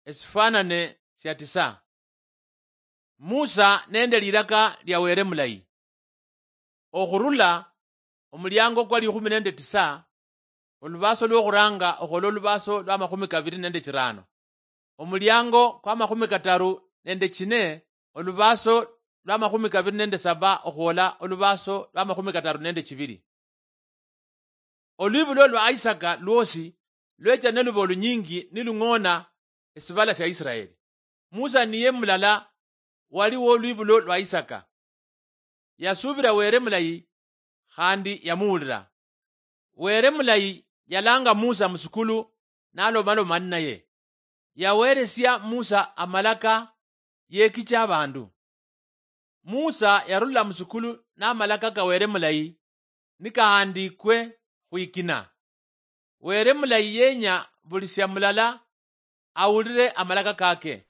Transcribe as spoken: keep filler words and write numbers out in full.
Esifwanane sia tisa. Musa nende lilaka lia Wele mulayi. Okhurula omuliango kwa likhumi nende tisa, olubaso lwokhuranga okhola olubaso lwa makhumi kabili nende chirano, omuliango kwa makhumi kataru nende chine, olubaso lwa makhumi kabili nende saba okhwola olubaso lwa makhumi kataru nende chibili. Olwibulo lwa Isaka lwosi lwecha neluba olunyingi nilung'ona esibala sia Israeli. Musa niye mulala wali wolwibulo lwa Isaka. Yasubira Wele mulayi khandi yamuwulira. Wele mulayi yalanga Musa musukulu nalomaloma ninaye. Yaweresia Musa amalaka yekicha abandu. Musa yarula musukulu namalaka ka Wele mulayi nikahandikwe khwikina. Wele mulayi yenya buli sia mulala awulire amalaka kake.